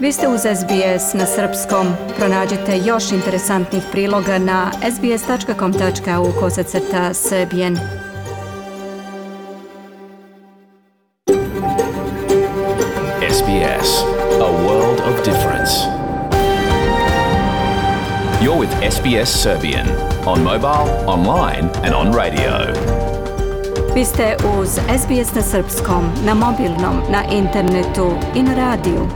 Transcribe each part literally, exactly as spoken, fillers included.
Vi ste uz S B S na srpskom. Pronađite još interesantnih priloga na sbs.com.au kosacrta srbijen. S B S, a world of difference. You're with S B S Serbian on mobile, online and on radio. Vi ste uz S B S na srpskom, na mobilnom, na internetu i na radiju.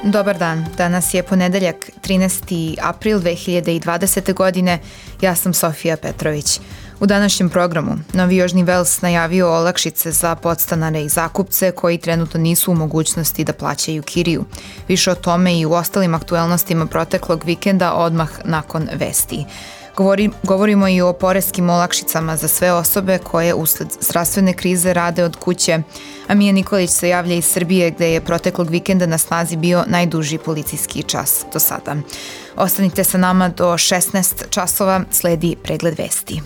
Dobar dan, danas je ponedeljak trinaesti april dve hiljade dvadesete. godine, ja sam Sofija Petrović. U današnjem programu Novi Južni Vels najavio olakšice za podstanare i zakupce koji trenutno nisu u mogućnosti da plaćaju kiriju. Više o tome i u ostalim aktuelnostima proteklog vikenda odmah nakon vesti. Govori, govorimo i o poreskim olakšicama za sve osobe koje usled zdravstvene krize rade od kuće, a Mija Nikolić se javlja iz Srbije gde je proteklog vikenda na snazi bio najduži policijski čas do sada. Ostanite sa nama do šesnaest časova, sledi pregled vesti.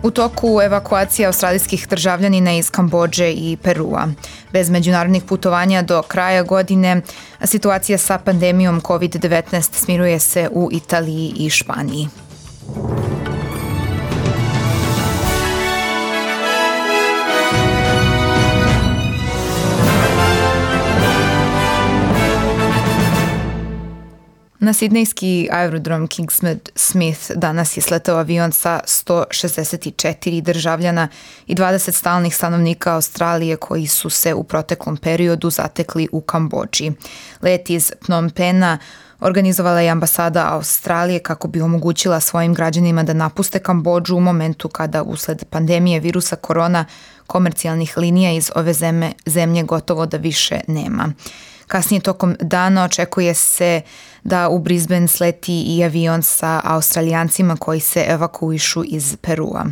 U toku evakuacija australijskih državljanina iz Kambodže i Perua. Bez međunarodnih putovanja do kraja godine, a situacija sa pandemijom kovid devetnaest smiruje se u Italiji i Španiji. Na sidnejski aerodrom Kingsmead Smith danas je sletao avion sa sto šezdeset četiri državljana i dvadeset stalnih stanovnika Australije koji su se u proteklom periodu zatekli u Kambodži. Let iz Phnom Penha organizovala je ambasada Australije kako bi omogućila svojim građanima da napuste Kambodžu u momentu kada usled pandemije virusa korona komercijalnih linija iz ove zemlje, zemlje gotovo da više nema. Kasnije tokom dana očekuje se da u Brisbane sleti i avion sa Australijancima koji se evakuišu iz Perua.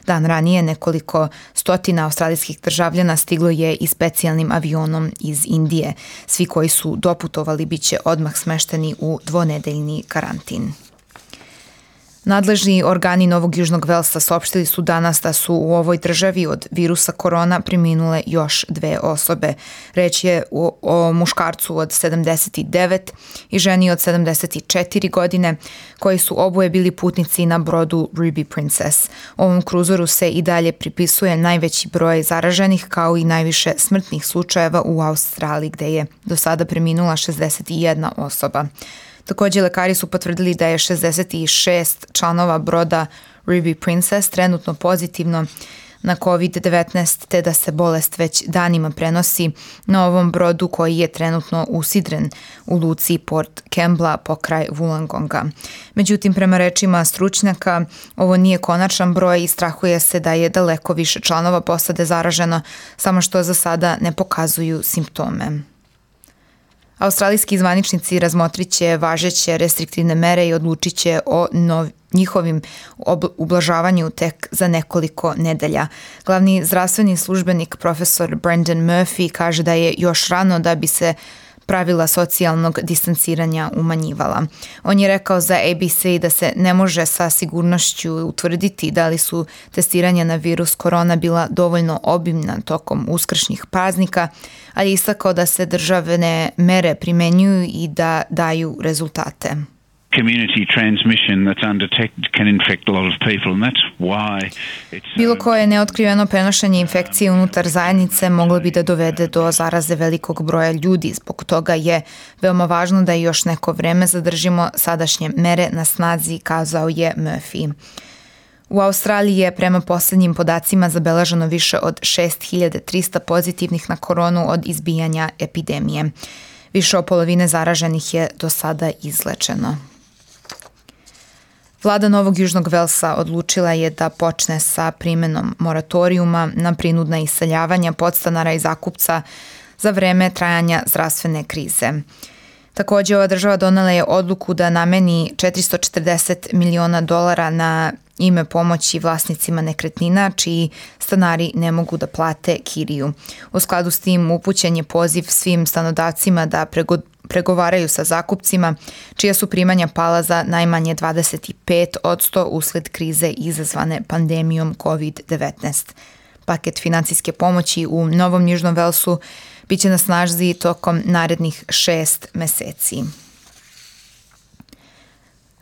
Dan ranije nekoliko stotina australijskih državljana stiglo je i specijalnim avionom iz Indije. Svi koji su doputovali bit će odmah smešteni u dvonedeljni karantin. Nadležni organi Novog Južnog Velsa saopštili su danas da su u ovoj državi od virusa korona preminule još dve osobe. Reč je o, o muškarcu od sedamdeset devet i ženi od sedamdeset četiri godine, koji su oboje bili putnici na brodu Ruby Princess. Ovom kruzoru se i dalje pripisuje najveći broj zaraženih kao i najviše smrtnih slučajeva u Australiji, gde je do sada preminula šezdeset jedna osoba. Također, lekari su potvrdili da je šezdeset šest članova broda Ruby Princess trenutno pozitivno na kovid devetnaest, te da se bolest već danima prenosi na ovom brodu koji je trenutno usidren u luci Port Kembla pokraj Wollongonga. Međutim, prema rečima stručnjaka, ovo nije konačan broj i strahuje se da je daleko više članova posade zaraženo, samo što za sada ne pokazuju simptome. Australijski zvaničnici razmotrit će važeće restriktivne mere i odlučit će o nov, njihovim ob- ublažavanju tek za nekoliko nedelja. Glavni zdravstveni službenik profesor Brendan Murphy kaže da je još rano da bi se pravila socijalnog distanciranja umanjivala. On je rekao za A B C da se ne može sa sigurnošću utvrditi da li su testiranja na virus korona bila dovoljno obimna tokom uskršnjih praznika, ali je istakao da se državne mere primenjuju i da daju rezultate. Community transmission that's undetected can infect a lot of people and that's why it's Bilo koje neotkriveno prenošenje infekcije unutar zajednice moglo bi da dovede do zaraze velikog broja ljudi. Zbog toga je veoma važno da još neko vreme zadržimo sadašnje mere na snazi, kazao je Murphy. U Australiji je prema posljednjim podacima zabeleženo više od šest hiljada trista pozitivnih na koronu od izbijanja epidemije. Više od polovine zaraženih je do sada izlečeno. Vlada Novog Južnog Velsa odlučila je da počne sa primenom moratorijuma na prinudna iseljavanja podstanara i zakupca za vreme trajanja zdravstvene krize. Također, ova država donela je odluku da nameni četiristo četrdeset miliona dolara na ime pomoći vlasnicima nekretnina čiji stanari ne mogu da plate kiriju. U skladu s tim upućen je poziv svim stanodavcima da prego, pregovaraju sa zakupcima čija su primanja pala za najmanje dvadeset pet posto usled krize izazvane pandemijom kovid devetnaest. Paket financijske pomoći u Novom Južnom Velsu biće na snazi tokom narednih šest meseci.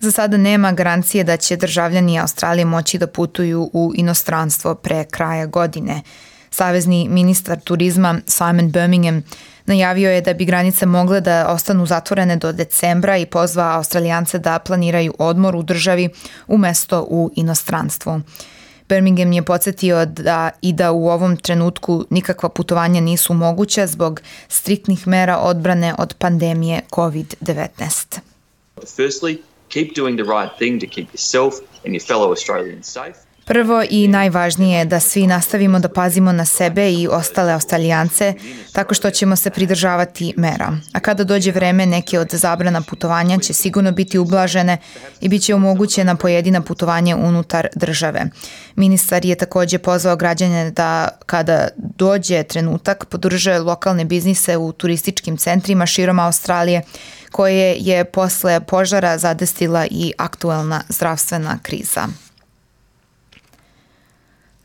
Za sada nema garancije da će državljani Australije moći da putuju u inostranstvo pre kraja godine. Savezni ministar turizma Simon Birmingham najavio je da bi granice mogle da ostanu zatvorene do decembra i pozvao Australijance da planiraju odmor u državi umesto u inostranstvu. Birmingham je podsjetio da i da u ovom trenutku nikakva putovanja nisu moguća zbog striktnih mera odbrane od pandemije kovid devetnaest. Firstly, keep doing the right thing to keep yourself and your fellow Australians safe. Prvo i najvažnije je da svi nastavimo da pazimo na sebe i ostale Australijance tako što ćemo se pridržavati mera. A kada dođe vreme, neke od zabrana putovanja će sigurno biti ublažene i bit će omogućena pojedina putovanja unutar države. Ministar je također pozvao građane da kada dođe trenutak podrže lokalne biznise u turističkim centrima širom Australije koje je posle požara zadesila i aktuelna zdravstvena kriza.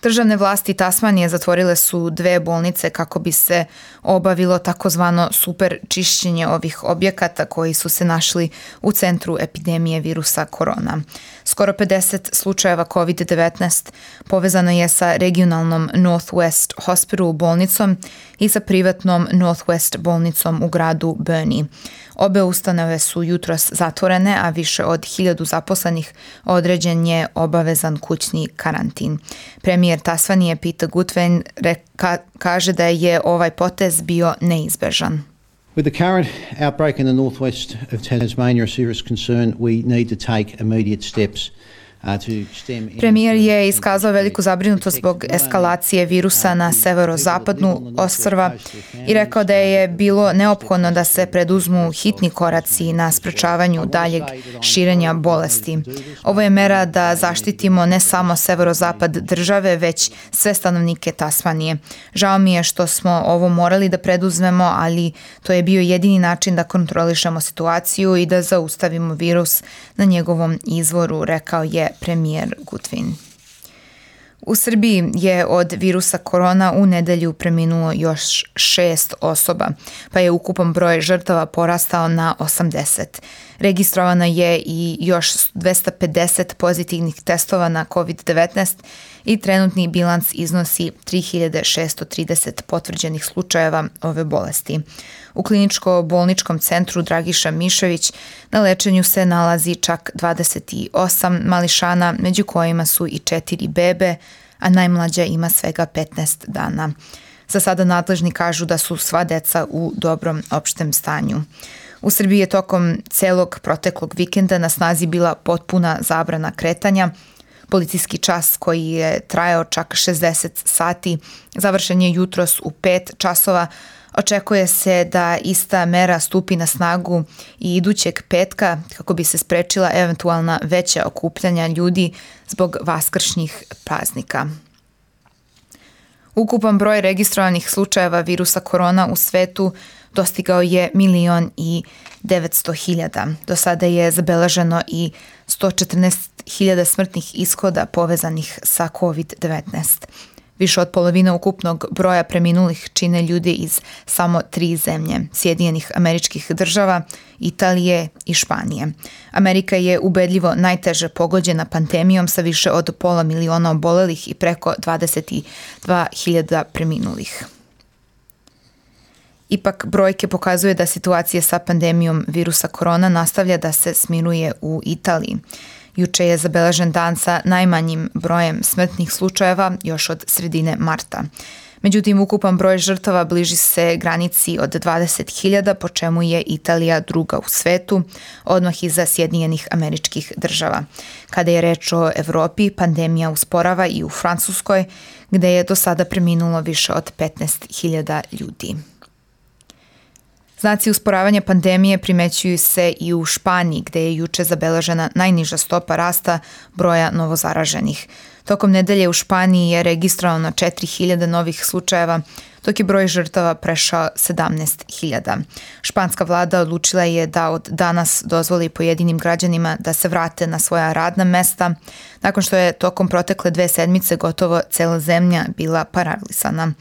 Državne vlasti Tasmanije zatvorile su dve bolnice kako bi se obavilo takozvano super čišćenje ovih objekata koji su se našli u centru epidemije virusa korona. Skoro pedeset slučajeva kovid devetnaest povezano je sa regionalnom Northwest Hospital bolnicom i sa privatnom Northwest bolnicom u gradu Burnie. Obe ustanove su jutros zatvorene, a više od hiljadu zaposlenih određen je obavezan kućni karantin. Premijer Tasmanije Peter Gutwein reka, kaže da je ovaj potez bio neizbežan. With the current outbreak in the northwest of Tasmania a serious concern, we need to take immediate steps. Premijer je iskazao veliku zabrinutost zbog eskalacije virusa na severozapadnu ostrva i rekao da je bilo neophodno da se preduzmu hitni koraci na sprečavanju daljeg širenja bolesti. Ovo je mera da zaštitimo ne samo severozapad države, već sve stanovnike Tasmanije. Žao mi je što smo ovo morali da preduzmemo, ali to je bio jedini način da kontrolišemo situaciju i da zaustavimo virus na njegovom izvoru, rekao je premijer Gutwein. U Srbiji je od virusa korona u nedelju preminulo još šest osoba, pa je ukupan broj žrtava porastao na osamdeset. Registrovano je i još dvesta pedeset pozitivnih testova na kovid devetnaest i trenutni bilans iznosi tri hiljade šessto trideset potvrđenih slučajeva ove bolesti. U kliničko-bolničkom centru Dragiša Mišović na lečenju se nalazi čak dvadeset osam mališana, među kojima su i četiri bebe, a najmlađa ima svega petnaest dana. Za sada nadležni kažu da su sva deca u dobrom opštem stanju. U Srbiji je tokom celog proteklog vikenda na snazi bila potpuna zabrana kretanja. Policijski čas koji je trajao čak šezdeset sati završen je jutros u pet časova. Očekuje se da ista mera stupi na snagu i idućeg petka kako bi se sprečila eventualna veća okupljanja ljudi zbog vaskršnjih praznika. Ukupan broj registrovanih slučajeva virusa korona u svetu dostigao je milion i devetsto hiljada. Do sada je zabeleženo i sto četrnaest hiljada smrtnih ishoda povezanih sa kovid devetnaest. Više od polovine ukupnog broja preminulih čine ljudi iz samo tri zemlje, Sjedinjenih Američkih Država, Italije i Španije. Amerika je ubedljivo najteže pogođena pandemijom sa više od pola miliona obolelih i preko dvadeset dva hiljada preminulih. Ipak brojke pokazuje da situacija sa pandemijom virusa korona nastavlja da se smiruje u Italiji. Juče je zabeležen dan sa najmanjim brojem smrtnih slučajeva još od sredine marta. Međutim, ukupan broj žrtava bliži se granici od dvadeset hiljada, po čemu je Italija druga u svetu, odmah iza Sjedinjenih Američkih Država. Kada je reč o Evropi, pandemija usporava i u Francuskoj, gde je do sada preminulo više od petnaest hiljada ljudi. Znaci usporavanja pandemije primećuju se i u Španiji, gde je juče zabeležena najniža stopa rasta broja novozaraženih. Tokom nedelje u Španiji je registrovano četiri hiljade novih slučajeva, dok je broj žrtava prešao sedamnaest hiljada. Španska vlada odlučila je da od danas dozvoli pojedinim građanima da se vrate na svoja radna mesta, nakon što je tokom protekle dve sedmice gotovo cela zemlja bila paralisana.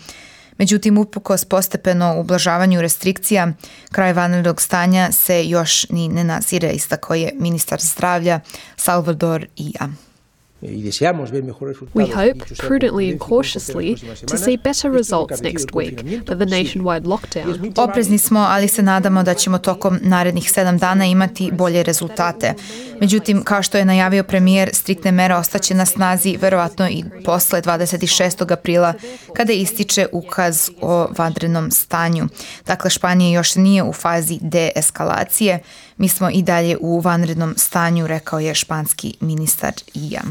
Međutim, uprkos postepeno ublažavanju restrikcija, kraj vanrednog stanja se još ni ne nazire, istakao je ministar zdravlja Salvador Illa. We hope, prudently and cautiously, to see better results next week with the nationwide lockdown. Oprezni smo, ali se nadamo da ćemo tokom narednih sedam dana imati bolje rezultate. Međutim, kao što je najavio premijer, striktne mere ostaće na snazi verovatno i posle dvadeset šestog aprila, kada ističe ukaz o vanrednom stanju. Dakle, Španija još nije u fazi deeskalacije. Mi smo i dalje u vanrednom stanju, rekao je španski ministar Illa.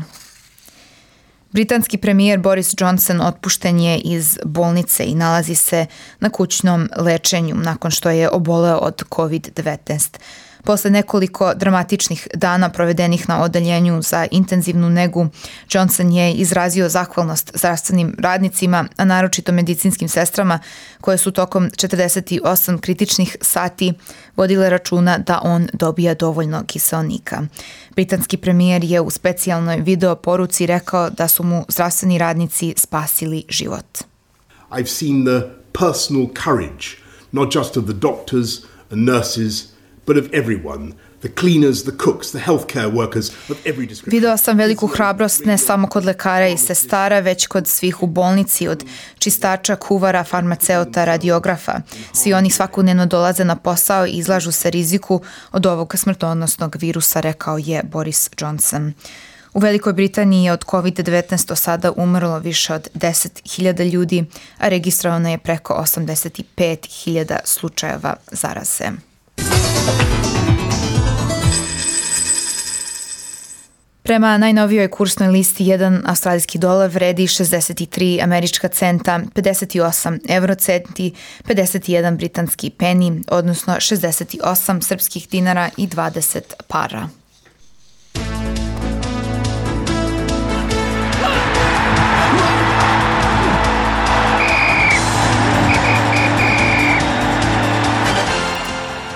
Britanski premijer Boris Johnson otpušten je iz bolnice i nalazi se na kućnom lečenju nakon što je oboleo od kovid devetnaest. Posle nekoliko dramatičnih dana provedenih na odeljenju za intenzivnu negu, Johnson je izrazio zahvalnost zdravstvenim radnicima, a naročito medicinskim sestrama koje su tokom četrdeset osam kritičnih sati vodile računa da on dobija dovoljno kiseonika. Britanski premijer je u specijalnoj video poruci rekao da su mu zdravstveni radnici spasili život. I've seen the personal courage, not just of the doctors and nurses, but of everyone, the cleaners, the cooks, the healthcare workers of every description. Video sam veliku hrabrost ne samo kod lekara i sestara, već kod svih u bolnici, od čistača, kuvara, farmaceuta, radiografa. Svi oni svakodnevno dolaze na posao i izlažu se riziku od ovog smrtonosnog virusa, rekao je Boris Johnson. U Velikoj Britaniji je od kovid devetnaest do sada umrlo više od deset hiljada ljudi, a registrovano je preko osamdeset pet hiljada slučajeva zaraze. Prema najnovijoj kursnoj listi, jedan australijski dolar vredi šezdeset tri američka centa, pedeset osam eurocenti, pedeset jedan britanski peni, odnosno šezdeset osam srpskih dinara i dvadeset para.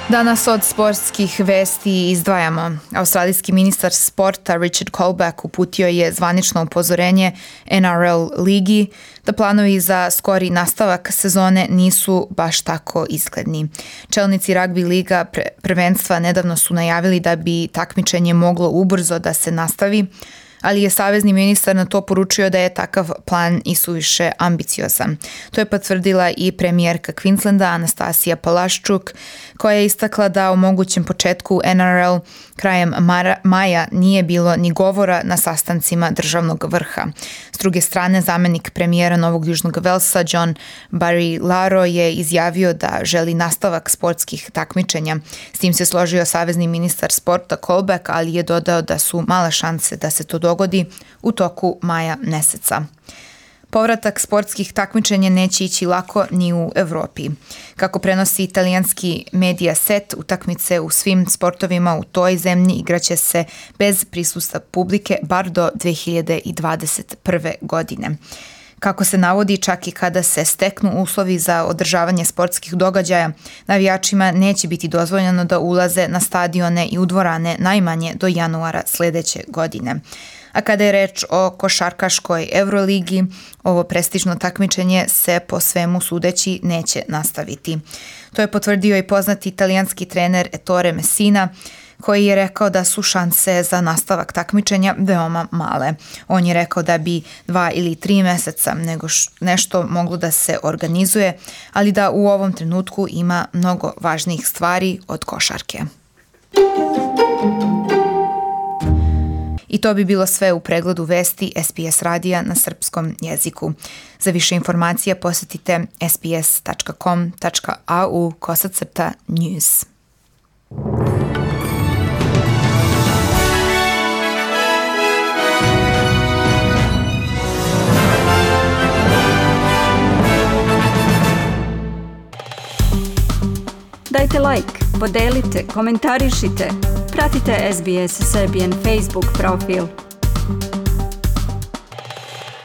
Danas od sportskih vesti izdvajamo. Australijski ministar sporta Richard Colback uputio je zvanično upozorenje N R L ligi da planovi za skori nastavak sezone nisu baš tako izgledni. Čelnici ragbi liga prvenstva nedavno su najavili da bi takmičenje moglo ubrzo da se nastavi, ali je savezni ministar na to poručio da je takav plan i suviše ambiciozan. To je potvrdila i premijerka Queenslanda Anastasija Palaščuk, koja je istakla da u mogućem početku N R L krajem maja nije bilo ni govora na sastancima državnog vrha. S druge strane, zamenik premijera Novog Južnog Velsa John Barilaro je izjavio da želi nastavak sportskih takmičenja. S tim se složio savezni ministar sporta Colback, ali je dodao da su male šanse da se to dogodi u toku maja meseca. Povratak sportskih takmičenja neće ići lako ni u Evropi. Kako prenosi italijanski Mediaset, utakmice u svim sportovima u toj zemlji igraće se bez prisustva publike bar do dve hiljade dvadeset prve. godine. Kako se navodi, čak i kada se steknu uslovi za održavanje sportskih događaja, navijačima neće biti dozvoljeno da ulaze na stadione i u dvorane najmanje do januara sledeće godine. A kada je reč o košarkaškoj Euroligi, ovo prestižno takmičenje se po svemu sudeći neće nastaviti. To je potvrdio i poznati italijanski trener Ettore Messina, koji je rekao da su šanse za nastavak takmičenja veoma male. On je rekao da bi dva ili tri meseca nego nešto moglo da se organizuje, ali da u ovom trenutku ima mnogo važnijih stvari od košarke. I to bi bilo sve u pregledu vesti S B S radija na srpskom jeziku. Za više informacija posjetite sbs.com.au kosacrta news. Dajte like, podelite, komentarišite. Pratite S B S Serbian Facebook profil.